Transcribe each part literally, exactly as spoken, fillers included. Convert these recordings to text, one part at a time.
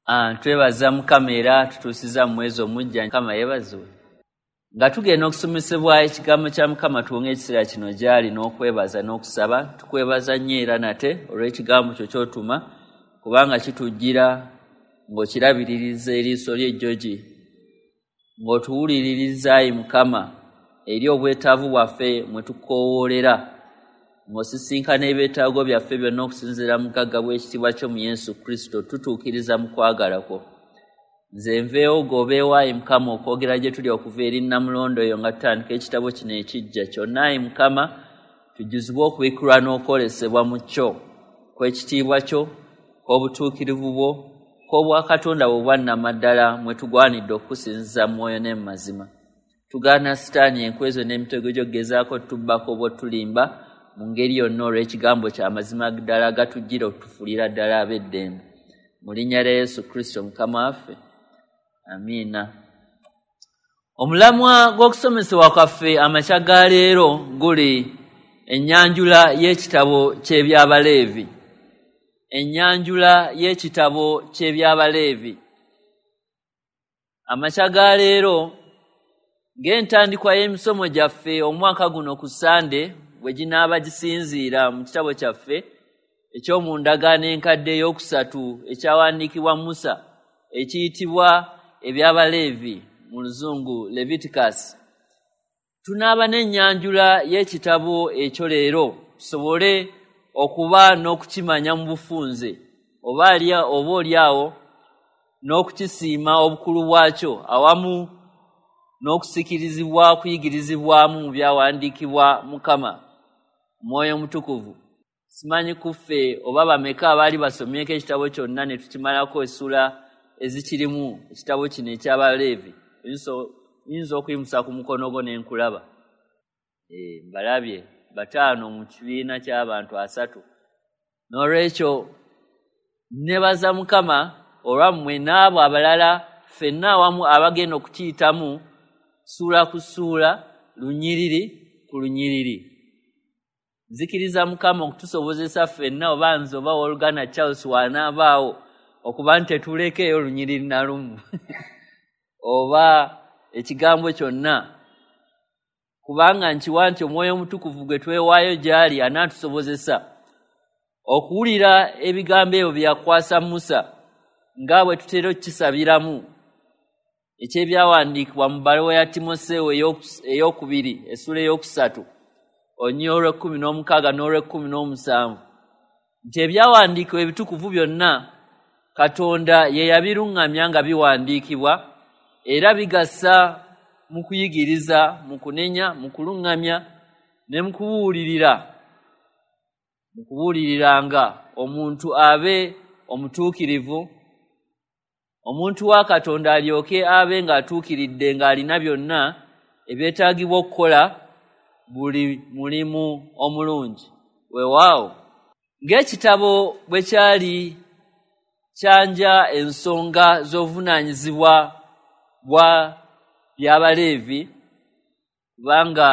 Ah, twebaza Mukama era tutuusiza mu mwezi omuggya. Mukama yeebazibwe. Nga tugenda okusomesebwa ekigambo kya Mukama, tuwonge ekiseera kino gy'ali n'okwebaza n'okusaba. Tukwebaza nnyo era nate olw'ekigambo kyo ky'otuma, kubanga kitujjira ng'okirabiririza eriiso ly'ejjogi, ng'otuwuliririza ayi Mukama eri obwetaavu bwaffe mwe tukoowoolera, ng'osisinkana ebyetaago byaffe byonna okusinziira mu bugagga bw'ekitiibwa kyo mu Yesu Kristo, tutuukiriza mu kwagala kwo. Nze nveewo g'obeewo ayi Mukama okwogera gye tuli okuva eri Nnamulondo eyo nga tutandika ekitabo kino ekiggya kyonna. Ayi Mukama, tujjuzibwe okubikkulwa n'okwolesebwa mu kyo, kw'ekitiibwa kyo, kw'obutuukirivu bwo, kw'obwakatonda bwo obwannamaddala mwe tugwanidde okukusinziza mu mwoyo ne mu mazima. Tugaana Sitaani enkwe zo n'emitego gy'okugezaako tubbako oba otulimba mu ngeri yonna olw'ekigambo kya mazima ddala gatujjira okutufuulira ddala ab'eddembe. Mu linnya lya Yesu Kristo Mukama waffe, amiina. Omulamwa gw'okusomesebwa kwaffe amakya ga leero guli ennyanjula y'ekitabo ky'Ebyabaleevi. Ennyanjula y'ekitabo ky'Ebyabaleevi. Amakya ga leero ng'entandikwa y'emisomo gyaffe omwaka guno ku Ssande bwe ginaaba gisinziira mu kitabo kyaffe eky'omundagaano enkadde ey'okusatu ekyawandiikibwa Musa ekiyitibwa Ebyabaleevi mu Luzungu Leviticus. Tunaaba n'ennyanjula y'ekitabo ekyo leero tusobole okuba n'okukimanya mu bufunze oba oba oliawo n'okukisiima obukulu bwakyo awamu n'okusikirizibwa okuyigirizibwamu mu byawandiikibwa Mukama Omwoyo Omutukuvu. Simanyi kuffe oba bameka abaali basomyeko ekitabo kyonna ne tukimalako essula ezikirimu ekitabo kino eky'Abaleevi. Oyinza okuyimusa ku mukono gwo ne nkulaba. Eh, mbalabye bataano mu kibiina ky'abantu asatu. N'olwekyo nebaza Mukama olwammwe n'abo abalala ffenna awamu abagenda okukiyitamu ssuula ku ssuula, lunyiriri ku lunyiriri. Nzikiriza Mukama okutusobozesa ffenna oba nze oba owooluganda Charles w'anaabaawo okuba nti tetulekeeyo lunyiriri na lumu oba ekigambo kyonna, kubanga nkiwa nti Omwoyo Omutukuvu gwe twewaayo gy'ali anaatusobozesa okuwulira ebigambo ebyo bye yakwasa Musa nga bwe tutera okukisabiramu eky'ebyawandiikibwa mu bbaluwa ya Timoseewo ey'okubiri essula ey'okusatu olunyiriri olw'ekkumi n'omukaaga n'olw'ekkumi n'omusanvu nti ebyawandiikibwa ebitukuvu byonna Katonda ye yabiruŋŋamya nga biwandiikibwa era bigasa mu kuyigiriza, mu kunenya, mu kuluŋŋamya ne mu kubuulirira, mu kubuuliriranga omuntu abe omutuukirivu, omuntu wa Katonda alyoke abe ng'atuukiridde ng'alina byonna ebyetaagibwa okukola buli mulimu omulungi. Weewaawo ng'ekitabo bwe kyali kyanja ensonga z'obuvunaanyizibwa bwa Byabaleevi, kubanga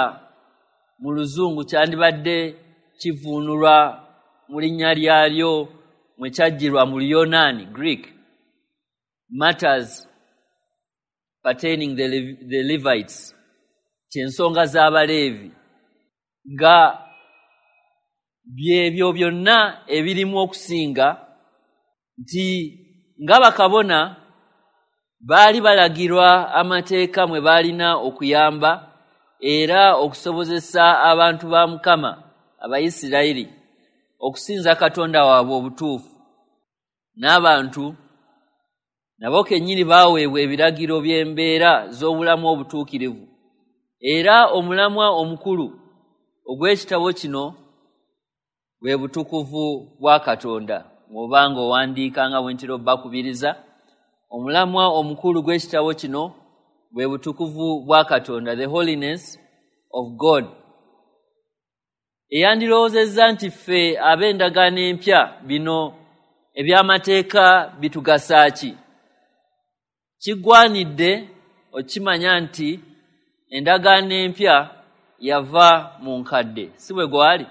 mu Luzungu kyandibadde kivuunulwa mu linnya lyalyo mwe kyaggyirwa mu Luyonaani Greek, matters pertaining the, the Levites, ky'ensonga z'Abaleevi, nga byebyo byonna ebirimu okusinga nti nga bakabona baali balagirwa amateeka mwe baalina okuyamba era okusobozesa abantu ba Mukama Abayisirayiri okusinza Katonda waabwe obutuufu. N'abantu nabo kennyini baaweebwa ebiragiro by'embeera z'obulamu obutuukirivu. Era omulamwa omukulu ogw'ekitabo kino bwe butukuvu bwa Katonda. Bw'obanga owandiika nga bwe ntera obbakubiriza, omulamwa omukulu gw'ekitabo kino bwe butukuvu bwa Katonda, the holiness of God. Eyandirowoozezza nti ffe ab'endagaano empya bino eby'amateeka bitugasa ki? Kigwanidde okimanya nti endagaano empya yava mu nkadde, si bwe gwali?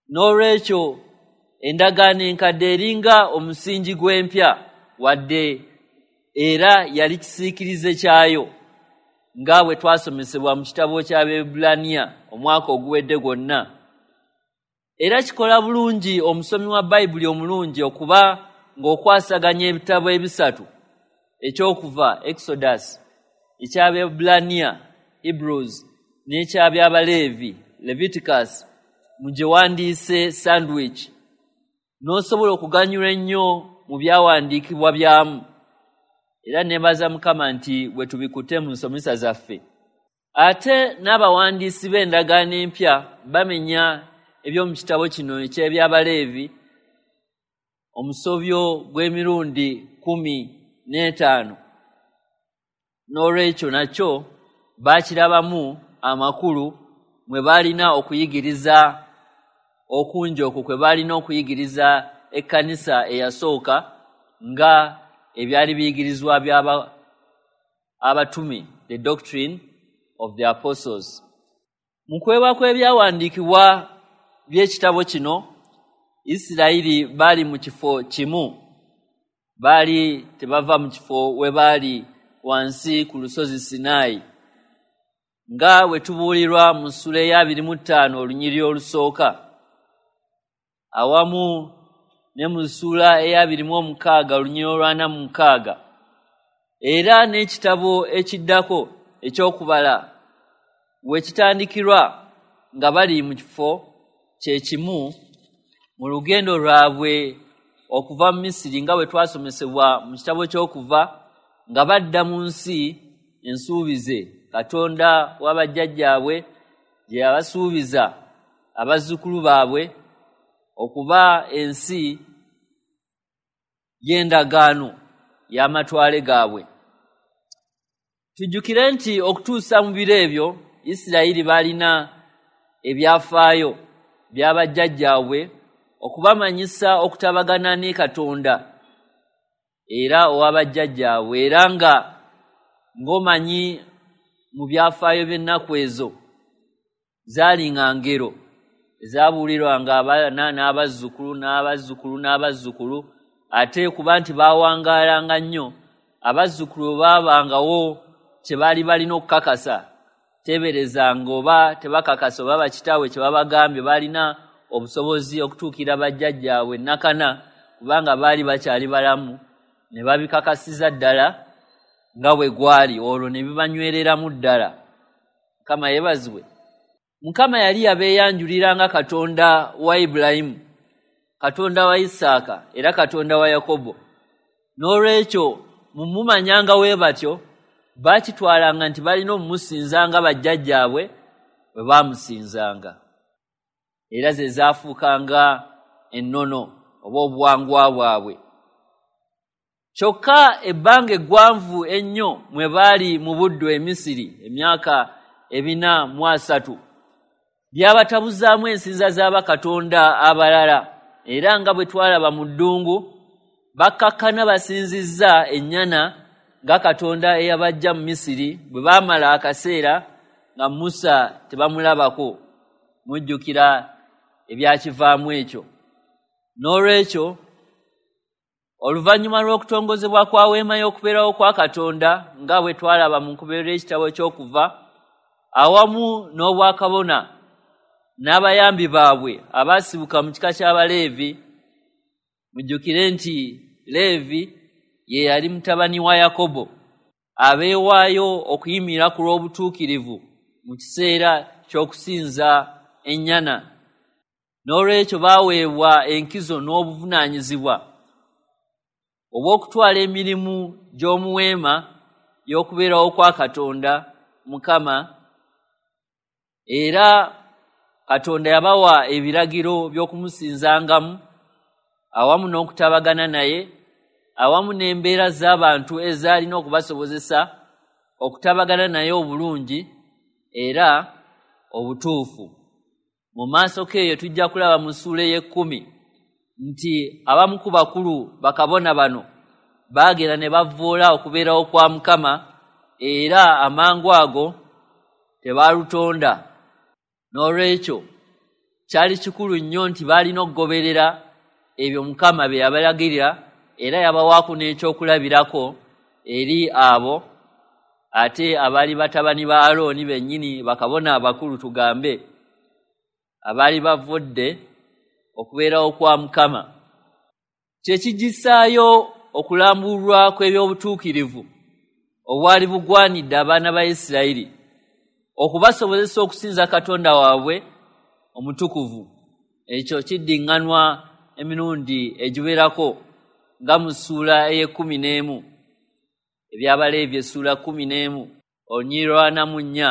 N'olwekyo endagaano enkadde eringa omusingi gw'empya. wadde era yali kisiikirize kyayo, nga bwe twasomesebwa mu kitabo ky'Abaebbulaniya omwaka oguwedde gwonna. Era kikola bulungi omusomi wa Bayibuli omulungi okuba ng'okwasaganya ebitabo ebisatu: ekyokuva Exodus, eky'Abaebbulaniya Hebrews, n'eky'Abyabaleevi Leviticus, mu gye wandiise sandwich, n'osobola okuganyulwa ennyo mu byawandiikibwa byamu. Era neebaza Mukama nti bwe tubikutte mu nsomesa zaffe. Ate n'abawandiisi b'endagaano empya bamenya eby'omu kitabo kino eky'Ebyabaleevi omusobyo gw'emirundi kkumi n'etaano. N'olwekyo nakyo baakirabamu amakulu mwe baalina okuyigiriza okungi okwo kwe baalina okuyigiriza ekkanisa eyasooka nga ebyali biyigirizwa by'aba abatume, the doctrine of the apostles. Mu kwebwa kw'ebyawandiikibwa by'ekitabo kino, Isirayiri baali mu kifo kimu, baali tebava mu kifo we baali wansi ku lusozi Sinaayi, nga bwe tubuulirwa mu ssuula ey'abiri mu ttaano olunyiriri olusooka, awamu ne mu ssuula ey'abiri mu omukaaga olunyiriri olw'ana mu mukaaga, era n'ekitabo ekiddako eky'okubala we kitandikirwa nga bali mu kifo kye kimu mu lugendo lwabwe okuva mu Misiri, nga bwe twasomesebwa mu kitabo ky'okuva, nga badda mu nsi ensuubize Katonda w'abajjajjaabwe gye yabasuubiza abazzukulu baabwe okuba ensi y'endagaano y'amatwale gaabwe. Tujjukire nti okutuusa mu biro ebyo Isirayiri baalina ebyafaayo by'abajjajjaabwe okubamanyisa okutabagana ne Katonda era ow'abajjajjaabwe, era nga ng'omanyi mu byafaayo by'ennaku ezo zaalinga ngero ezaabuulirwanga abaana n'abazzukulu n'abazzukulu n'abazzukulu, ate kuba nti baawangaalanga nnyo, abazzukulu baabangawo kye baali balina okukakasa, teeberezanga oba tebakakasa oba bakitaabwe kye babagambye, baalina obusobozi okutuukira bajjajjaabwe nnakana kubanga baali bakyali balamu, ne babikakasiza ddala nga bwe gwali, olwo ne bibanywereramu ddala. Mukama yeebazibwe. Mukama yali yabeeyanjulira nga Katonda wa Ibulayimu, Katonda wa Isaaka, era Katonda wa Yakobo. N'olwekyo mumumanyanga we batyo, baakitwalanga nti balina omumusinza nga bajjajjaabwe bwe baamusinzanga, era ze zaafuukanga ennono oba obuwangwa bwabwe. Kyokka ebbanga eggwanvu ennyo mwe baali mu buddu e Misiri, emyaka ebina mu asatu, byabatabuzaamu ensinza z'abakatonda abalala, era nga bwe twalaba mu ddungu, bakkakkana basinzizza ennyana nga Katonda eyabajja mu Misiri bwe baamala akaseera nga Musa tebamulabako. Mujjukira ebyakivaamu ekyo. N'olwekyo oluvannyuma lw'okutongozebwa kwa weema y'okubeerawo kwa Katonda nga bwe twalaba mu nkomerero y'ekitabo ky'okuva, awamu n'obwakabona n'abayambi baabwe abaasibuka mu kika ky'Abaleevi, mujjukire nti Leevi ye yali mutabani wa Yakobo, abeewaayo okuyimirira ku lw'obutuukirivu mu kiseera ky'okusinza ennyana. N'olwekyo baaweebwa enkizo n'obuvunaanyizibwa obw'okutwala emirimu gy'omu weema y'okubeerawo kwa Katonda Mukama, era Katonda yabawa ebiragiro by'okumusinzangamu awamu n'okutabagana naye, awamu n'embeera z'abantu ezaalina okubasobozesa okutabagana naye obulungi era obutuufu. Mu maaso k'eyo tujja kulaba mu ssuula ey'ekkumi nti abamu ku bakulu bakabona bano baagenda ne bavvoola okubeerawo kwa Mukama, era amangu ago tebaalutonda. N'olwekyo kyali kikulu nnyo nti baalina okugoberera ebyo Mukama bye yabalagirira era yabawaako n'ekyokulabirako eri abo ate abaali batabani ba Alooni bennyini, bakabona abakulu tugambe, abaali bavudde okubeerawo kwa Mukama. Kye kigisaayo okulambulwa kw'ebyobutuukirivu obwali bugwanidde abaana ba Isirayiri okubasobozesa okusinza Katonda waabwe omutukuvu. Ekyo kiddiŋŋanwa emirundi egiwerako nga mu ssuula ey'ekkumi n'emu, Ebyabaleevi essuula kkumi n'emu, olunyiriri lw'ana mu nnya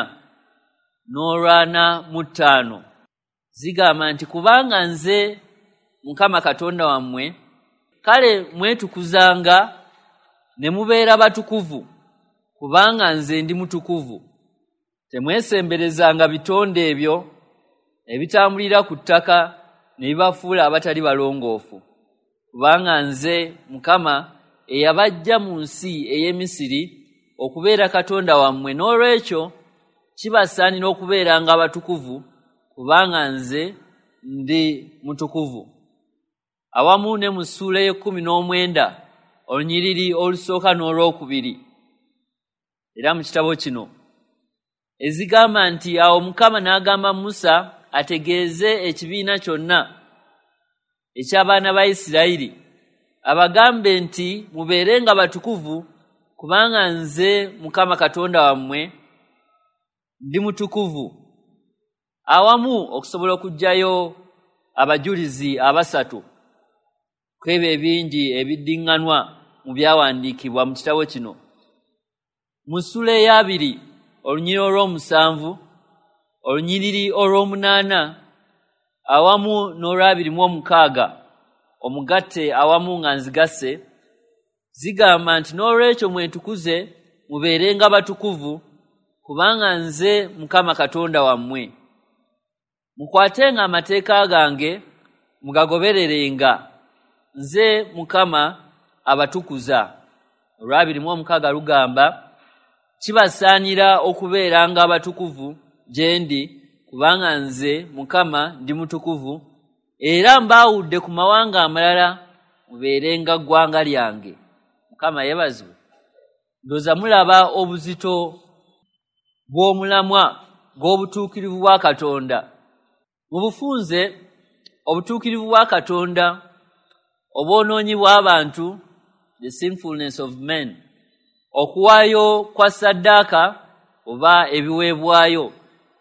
n'olwana mu ttaano zigamba nti, kubanga nze Mukama Katonda wammwe, kale mwetukuzanga ne mubeera batukuvu, kubanga nze ndi mutukuvu. Temwesemberezanga bitonde ebyo ebitambulira ku ttaka ne bibafuula abatali balongoofu, kubanga nze Mukama eyabaggya mu nsi ey'e Misiri okubeera Katonda wammwe. N'olwekyo kibasaanira okubeeranga abatukuvu, kubanga nze ndi mutukuvu. Awamu ne mu ssuula ey'ekkumi n'omwenda olunyiriri olusooka n'olwokubiri, era mu kitabo kino ezigamba nti, awo Mukama n'agamba Musa ategeeze ekibiina kyonna eky'abaana ba Isirayiri, abagambe nti, mubeerenga batukuvu, kubanga nze Mukama Katonda wammwe ndi mutukuvu. Awamu okusobola okuggyayo abajulizi abasatu kw'ebyo ebingi ebiddiŋŋanwa mu byawandiikibwa mu kitabo kino. Mu ssuula ey'abiri olunyiriri olw'omusanvu, olunyiriri olw'omunaana awamu n'olwabiri mu omukaaga omugatte awamu nga nzigasse, zigamba nti, n'olwekyo mwetukuze mubeerenga batukuvu, kubanga nze Mukama Katonda wammwe. Mukwatenga amateeka gange mugagobererenga, nze Mukama abatukuza. Olwabiri mu omukaaga lugamba, kibasaanira okubeeranga abatukuvu gye ndi, kubanga nze Mukama ndi mutukuvu, era mbaawudde ku mawanga amalala mubeerenga ggwanga lyange. Mukama yeebazibwe. Ndowooza mulaba obuzito bw'omulamwa gw'obutuukirivu bwa Katonda. Mu bufunze, obutuukirivu bwa Katonda, obwonoonyi bw'abantu, the sinfulness of men, okuwaayo kwa ssaddaaka oba ebiweebwayo,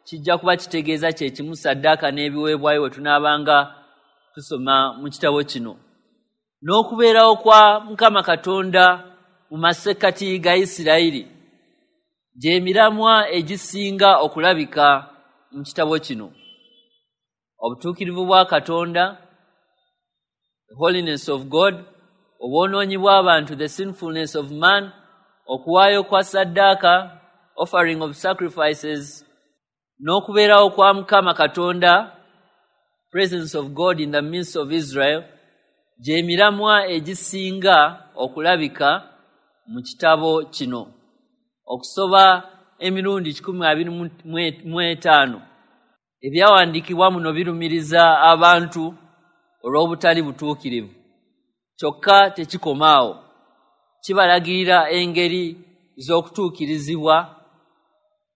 kijja kuba kitegeeza kye kimu ssaddaaka n'ebiweebwayo bwe tunaabanga tusoma mu kitabo kino, n'okubeerawo kwa Mukama Katonda mu masekkati ga Isirayiri, gy'emiramwa egisinga okulabika mu kitabo kino. Obutuukirivu bwa Katonda, the holiness of God, obwonoonyi bw'abantu, the sinfulness of man, okuwaayo kwa ssaddaaka, offering of sacrifices, n'okubeerawo kwa Mukama Katonda, presence of God in the midst of Israel, gy'emiramwa egisinga okulabika mu kitabo kino. Okusoba emirundi kikumi abiri mu etaano ebyawandiikibwa muno birumiriza abantu olw'obutali butuukirivu. Kyokka tekikoma awo, kibalagirira engeri z'okutuukirizibwa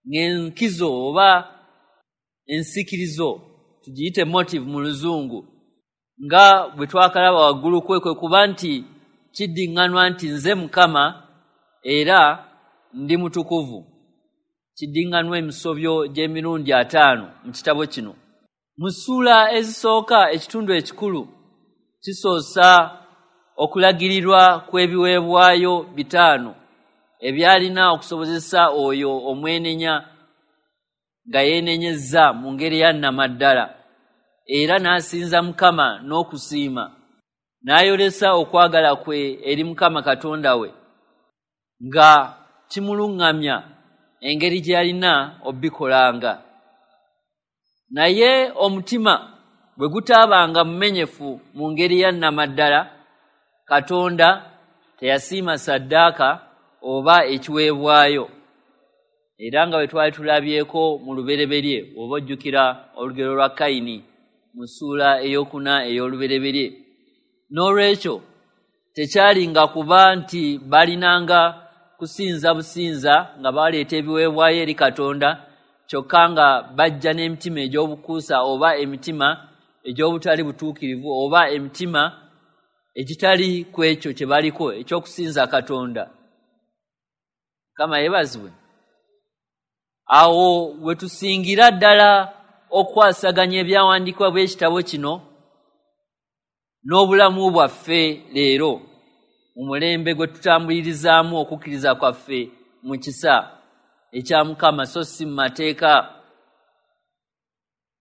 ng'enkizo oba ensikirizo, tugiyite motive mu Luzungu, nga bwe twakalaba waggulu kwe kwe kuba nti kiddiŋŋanwa nti nze Mukama era ndi mutukuvu. Kiddiŋŋanwa emisobyo gy'emirundi ataano mu kitabo kino. Mu ssuula ezisooka ekitundu ekikulu kisoosa okulagirirwa kw'ebiweebwayo bitaano ebyalina okusobozesa oyo omwenenya nga yeenenyezza mu ngeri ya nnamaddala, era n'asinza Mukama n'okusiima, n'ayolesa okwagala kwe eri Mukama Katonda we, nga kimuluŋŋamya engeri gye yalina obikolanga. Naye omutima bwe gutaabanga mumenyefu mu ngeri ya nnamaddala, Katonda teyasiima ssaddaaka oba ekiweebwayo. Era nga bwe twali tulabyeko mu lubereberye, oba ojjukira olugero lwa Kayini mu ssuula ey'okuna ey'olubereberye. N'olwekyo Tekyalinga kuba nti balinanga kusinza businza nga baleeta ebiweebwayo eri Katonda, kyokka nga bajja n'emitima egy'obukuusa oba emitima egy'obutali butuukirivu oba emitima egitali ku ekyo kye baliko eky'okusinza Katonda. Mukama yeebazibwe. Awo we tusingira ddala okwasaganya ebyawandiikibwa by'ekitabo kino n'obulamu bwaffe leero mu mulembe gwe tutambulirizaamu okukkiriza kwaffe mu kisa ekya Mukama so si mu mateeka.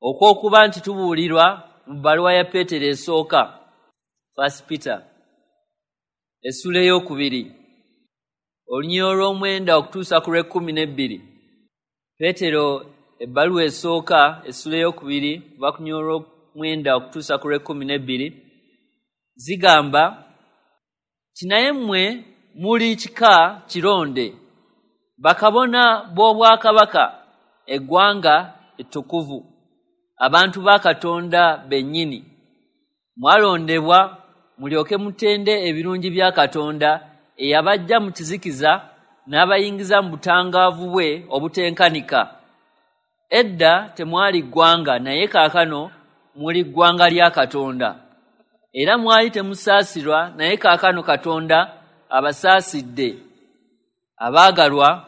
Okw'okuba nti tubuulirwa mu bbaluwa ya Peetero esooka, First Peter, essuula ey'okubiri, olunyiriri olw'omwenda okutuusa ku lw'ekkumi n'ebbiri. Peetero ebbaluwa esooka essuula ey'okubiri kuva ku lunyiriri olw'omwenda okutuusa ku lw'ekkumi n'ebbiri zigamba nti, naye mmwe muli kika kironde, bakabona b'obwakabaka, eggwanga ettukuvu, abantu ba Katonda bennyini. Mwalondebwa mulyoke mutende ebirungi bya Katonda eyabaggya mu kizikiza n'abayingiza mu butangaavu bwe obutenkanika. Edda temwali ggwanga, naye kaakano muli ggwanga lya Katonda. Era mwali temusaasirwa, naye kaakano Katonda abasaasidde. Abaagalwa,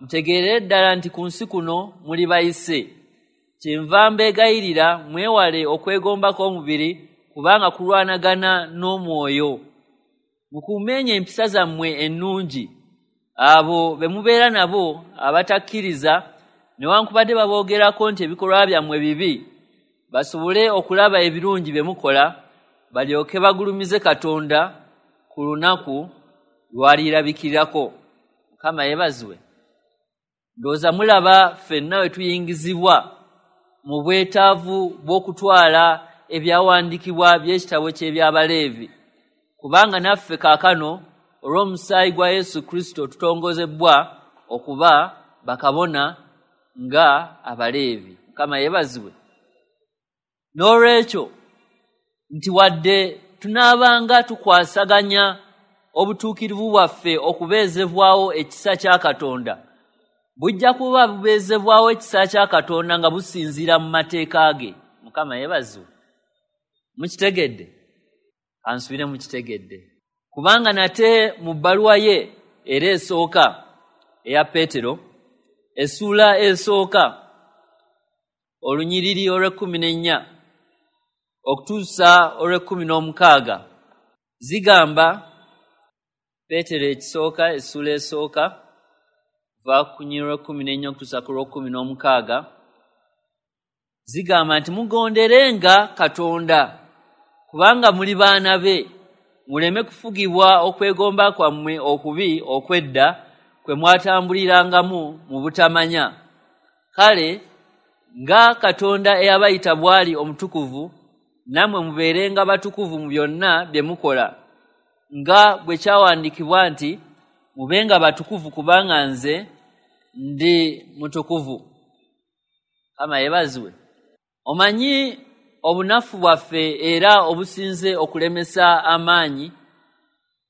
mutegeerere ddala nti ku nsi kuno muli bayise. Kyenva mbeegayirira mwewale okwegomba kw'omubiri, kubanga kulwanagana n'omwoyo. Mukuumenye empisa zammwe ennungi. Abo be mubeera nabo abatakkiriza, newankubadde baboogerako nti ebikolwa byammwe bibi, basobole okulaba ebirungi bye mukola, balyoke bagulumize Katonda ku lunaku lw'alirabikirirako. Mukama yeebazibwe. Ndowooza mulaba ffenna we tuyingizibwa mu bwetaavu bw'okutwala ebyawandiikibwa by'ekitabo ky'Ebyabaleevi, kubanga naffe kaakano olw'omusaayi gwa Yesu Kristo tutongozebbwa okuba bakabona nga Abaleevi. Mukama yeebazibwe. N'olwekyo nti wadde tunaabanga tukwasaganya obutuukirivu bwaffe okubeezebwawo ekisa kya Katonda, bujja kuba bubeezebwawo ekisa kya Katonda nga businziira mu mateeka ge. Mukama yeebazibwe. Mukitegedde? Kansubire mukitegedde. Kubanga nate mu bbaluwa ye era esooka eya Peetero, essuula esooka olunyiriri olw'ekkumi n'ennya okutuusa olw'ekkumi n'omukaaga zigamba, Peetero ekisooka essuula esooka va ku lunyiriri olw'ekkumi n'ennya okutuusa ku lw'ekkumi n'omukaaga zigamba nti, mugonderenga Katonda kubanga muli baana be, muleme kufugibwa okwegomba kwammwe okubi okw'edda kwe mwatambulirangamu mu butamanya. Kale nga Katonda eyabayita bw'ali omutukuvu, nammwe mubeerenga batukuvu mu byonna bye mukola, nga bwe kyawandiikibwa nti, mubenga batukuvu kubanga nze ndi mutukuvu. Mukama yeebazibwe. Omanyi obunafu bwaffe era obusinze okulemesa amaanyi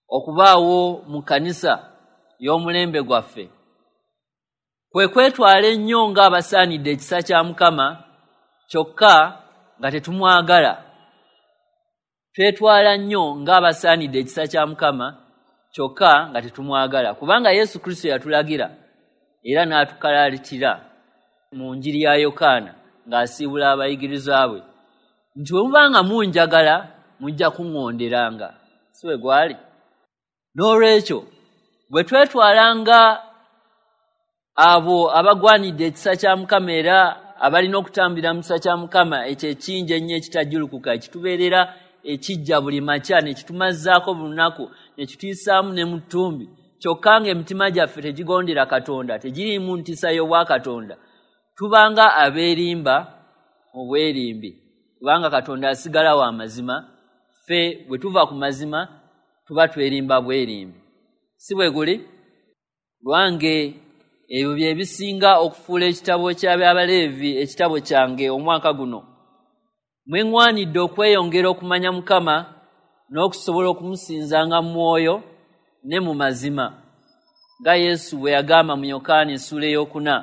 okubaawo mu kkanisa y'omulembe gwaffe kwe kwetwala ennyo ng'abasaanidde ekisa kya Mukama, kyokka nga tetumwagala. Twetwala nnyo ng'abasaanidde ekisa kya Mukama, kyokka nga tetumwagala, kubanga Yesu Kristo yatulagira era n'atukalaalitira mu njiri ya Yokaana ng'asiibula abayigirizwa bwe nti, bwe mubanga munjagala mujja kuŋŋonderanga. Si bwe gwali? N'olwekyo bwe twetwalanga abo abagwanidde ekisa kya Mukama era abalina okutambulira mu kisa kya Mukama ekyo ekingi ennyo ekitajjulukuka, ekitubeerera ekijja buli makya ne kitumazzaako buli lunaku ne kituyisaamu ne mu ttumbi, kyokka ng'emitima gyaffe tegigondera Katonda, tegiriimu ntiisa y'obwakatonda, tubanga abeerimba mu bwerimbi, kubanga Katonda asigala wa mazima. Ffe bwe tuva ku mazima tuba twerimba bwerimbi. Si bwe guli? Lwange ebyo bye bisinga okufuula ekitabo ky'Abyabaleevi ekitabo kyange omwaka guno. Mwe ŋŋwanidde okweyongera okumanya Mukama n'okusobola okumusinzanga mu mwoyo ne mu mazima, nga Yesu bwe yagamba mu Yokaana essuula ey'okuna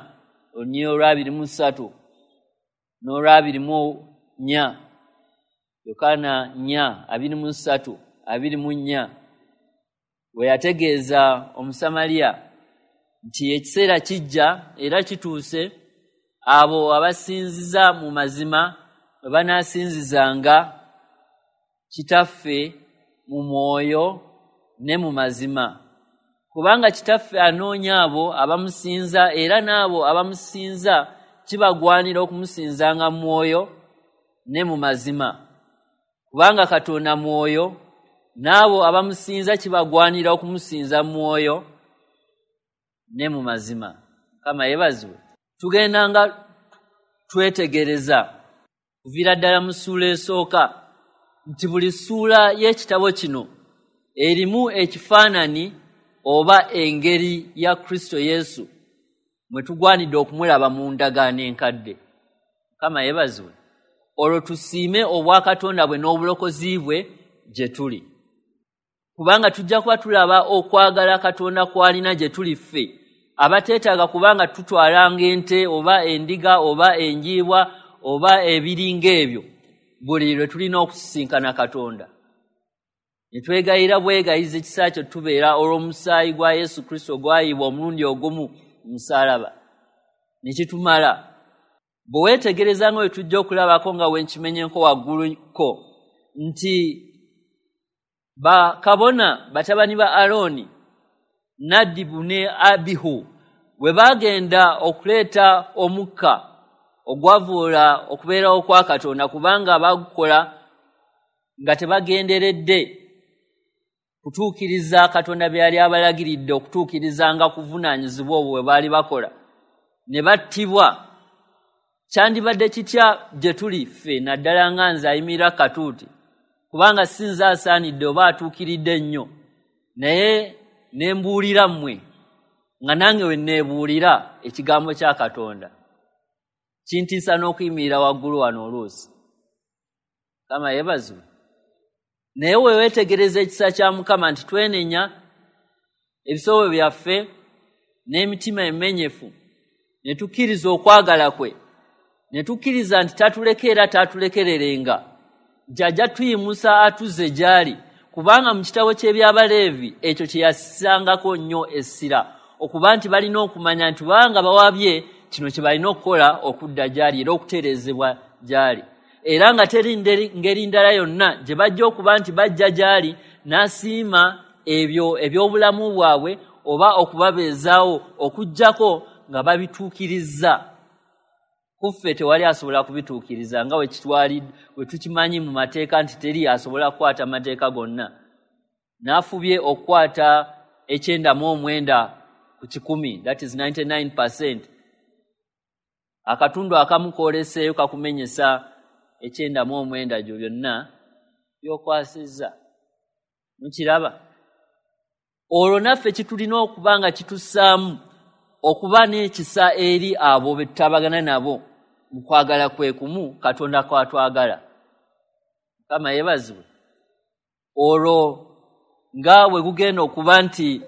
olunyiriri olw'abiri mu ssatu n'olw'abiri mu nnya. Yokaana nnya abiri mu ssatu abiri mu nnya, bwe yategeeza Omusamaliya nti ekiseera kijja era kituuse abo abasinziza mu mazima bwe banaasinzizanga Kitaffe mu mwoyo ne mu mazima, kubanga Kitaffe anoonya abo abamusinza, era n'abo abamusinza kibagwanira okumusinzanga mu mwoyo ne mu mazima, kubanga Katonda mwoyo, n'abo abamusinza kibagwanira okumusinza mu mwoyo ne mu mazima. Mukama yeebazibwe. Tugendanga twetegereza kuviira ddala mu ssuula esooka nti buli ssuula y'ekitabo kino erimu ekifaananyi oba engeri ya Kristo Yesu mwe tugwanidde okumulaba mu ndagaano enkadde. Mukama yeebazibwe. Olwo tusiime obwakatonda bwe n'obulokozi bwe gye tuli, kubanga tujja kuba tulaba okwagala Katonda kw'alina gye tuli ffe abateetaaga, kubanga tutwalanga ente oba endiga oba enjiibwa oba ebiringa ebyo buli lwe tulina okusisinkana Katonda. Ne twegayira bwegayiza ekisa kyo tubeera olw'omusaayi gwa Yesu Kristo ogwayibwa omulundi ogumu mu musaalaba, ne kitumala. Bwe weetegereza nga bwe tujja okulabako nga we nkimenyenko wagguluko nti bakabona batabani ba Alooni, Nadibu ne Abihu, bwe baagenda okuleeta omukka ogwavuula okubeerawo kwa Katonda, kubanga bagukola nga tebagenderedde kutuukiriza Katonda bye yali abalagiridde okutuukirizanga kuvunaanyizibwa obwo bwe baali bakola, ne battibwa. Kyandibadde kitya gye tuli ffe, naddala nga nze ayimirira katuuti, kubanga si nze asaanidde oba atuukiridde ennyo, naye ne mbuulira mmwe nga nange we neebuulira ekigambo kya Katonda. Kintiisa n'okuyimirira waggulu wano oluusi. Mukama yeebazibwe. Naye we weetegereza ekisa kya Mukama nti twenenya ebisobyo byaffe n'emitima emenyefu, ne tukkiriza okwagala kwe, ne tukkiriza nti tatuleka era tatulekererenga, nti ajja tuyimusa atuzze gy'ali, kubanga mu kitabo ky'Ebyabaleevi ekyo kye yassangako nnyo essira, okuba nti balina okumanya nti banga bawabye kino kye balina okukola okudda gy'ali era okutereezebwa gy'ali, era nga teri ngeri ndala yonna gye bajja okuba nti bajja gy'ali n'asiima ebyo eby'obulamu bwabwe oba okubabeezaawo okuggyako nga babituukirizza. Kuffe tewali asobola kubituukiriza nga we we tukimanyi mu mateeka nti teri asobola kukwata mateeka gonna. N'afubye okukwata ekyenda mu omwenda ku kikumi, that is ninety-nine percent. Akatundu akamu kooleseeyo kakumenyesa ekyenda mu omwenda gyo byonna by'okwasizza. Mukiraba? Olwo naffe kitulina okuba nga kitussaamu okuba n'ekisa eri abo be tutabagana nabo mu kwagala kwe kumu Katonda kw'atwagala. Mukama yeebazibwe. Olwo nga bwe gugenda okuba nti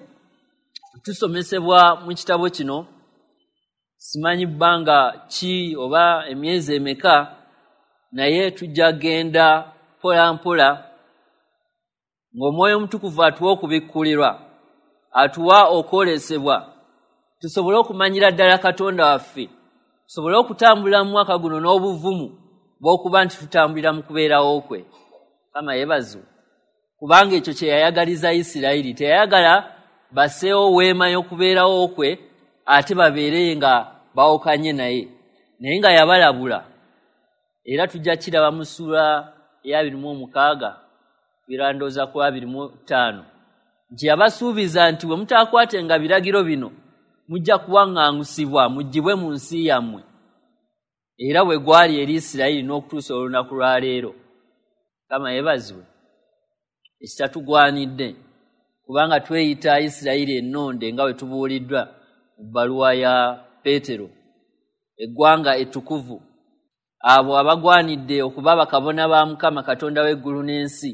tusomesebwa mu kitabo kino, simanyi bbanga ki oba emyezi emeka, naye tujja genda mpola mpola ng'Omwoyo Omutukuvu atuwa okubikkulirwa, atuwa okwolesebwa, tusobole okumanyira ddala Katonda waffe, tusobole okutambulira mu mwaka guno n'obuvumu bw'okuba nti tutambulira mu kubeerawo kwe. Mukama yeebazibwe. Kubanga ekyo kye yayagaliza Isirayiri, teyayagala basseewo weema y'okubeerawo kwe ate babeere nga bawukanye naye, naye nga yabalabula. Era tujja kiraba mu ssuula ey'abiri mu omukaaga birandooza ku abiri mu ttaano nti yabasuubiza nti bwe mutaakwatenga biragiro bino mujja kuwaŋŋangusibwa muggyibwe mu nsi yammwe. Era bwe gwali eri Isirayiri n'okutuusa olunaku lwa leero. Mukama yeebazibwe. Ekitatugwanidde, kubanga tweyita Isirayiri ennonde nga bwe tubuuliddwa mu bbaluwa ya Peetero, eggwanga ettukuvu, abo abagwanidde okuba bakabona ba Mukama Katonda w'eggulu n'ensi,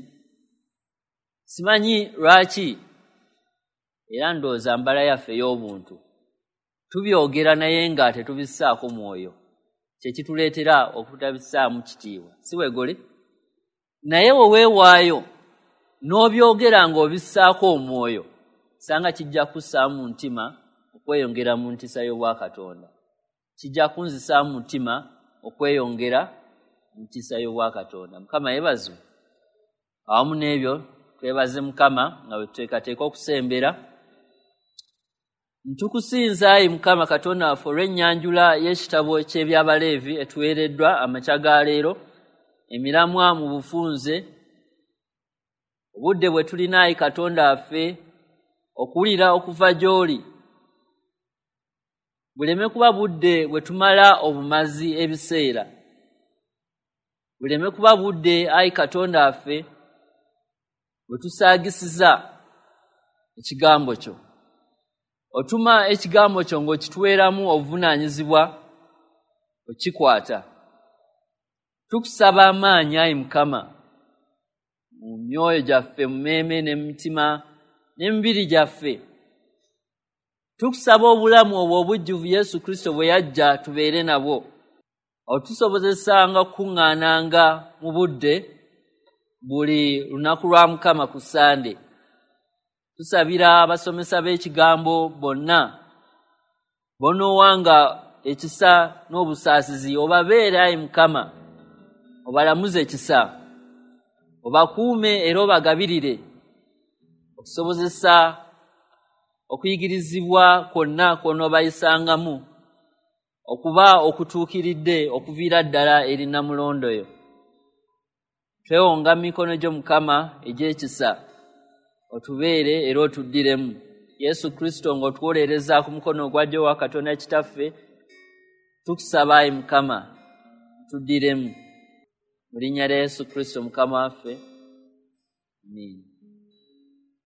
Simanyi lwaki, era ndowooza mbala yaffe ey'obuntu tubyogera naye nga tetubissaako mwoyo, kye kituleetera okutabissaamu kitiibwa, si bwegole? Naye we weewaayo n'obyogera ng'obissaako omwoyo, sanga kijja kussaamu mutima okweyongera mu ntiisa y'Obwakatonda, kijja kunzisaamu mutima okweyongera mu ntiisa y'Obwakatonda. Mukama yeebazibwe. Awamu n'ebyo twebaze Mukama nga bwe tuteekateeka okusembera. Ntukusinza ayi Mukama Katonda waffe olw'ennyanjula y'ekitabo ky'Ebyabaleevi etuweereddwa amakya ga leero, emiramwa mu bufunze, obudde bwe tulina ayi Katonda waffe okuwulira okuva gy'oli, buleme kuba budde bwe tumala obumazi ebiseera, buleme kuba budde ayi Katonda waffe bwe tusaagisiza ekigambo kyo. Otuma ekigambo kyo ng'okituweeramu obuvunaanyizibwa okikwata. Tukusaba amaanyi ayi Mukama mu myoyo gyaffe, mu mmeeme ne mu mitima n'emibiri gyaffe. Tukusaba obulamu obwo obujjuvu Yesu Kristo bwe yajja tubeere nabwo, otusobozesanga okukuŋŋaananga mu budde buli lunaku lwa Mukama ku Ssande. Tusabira abasomesa b'ekigambo bonna bonoowanga ekisa n'obusaasizi, obabeere ayi Mukama, obalamuze ekisa, obakuume era obagabirire, okusobozesa okuyigirizibwa kwonna kw'onoobayisangamu okuba okutuukiridde okuviira ddala eri nnamulondo yo. Twewonga mu mikono gyo Mukama egy'ekisa, otubeere era otuddiremu. Yesu Kristo ng'otuwolereza ku mukono ogwa ddyo wa Katonda Kitaffe, tukusaba ayi Mukama tuddiremu. Mu linnya lya Yesu Kristo Mukama waffe, amiina.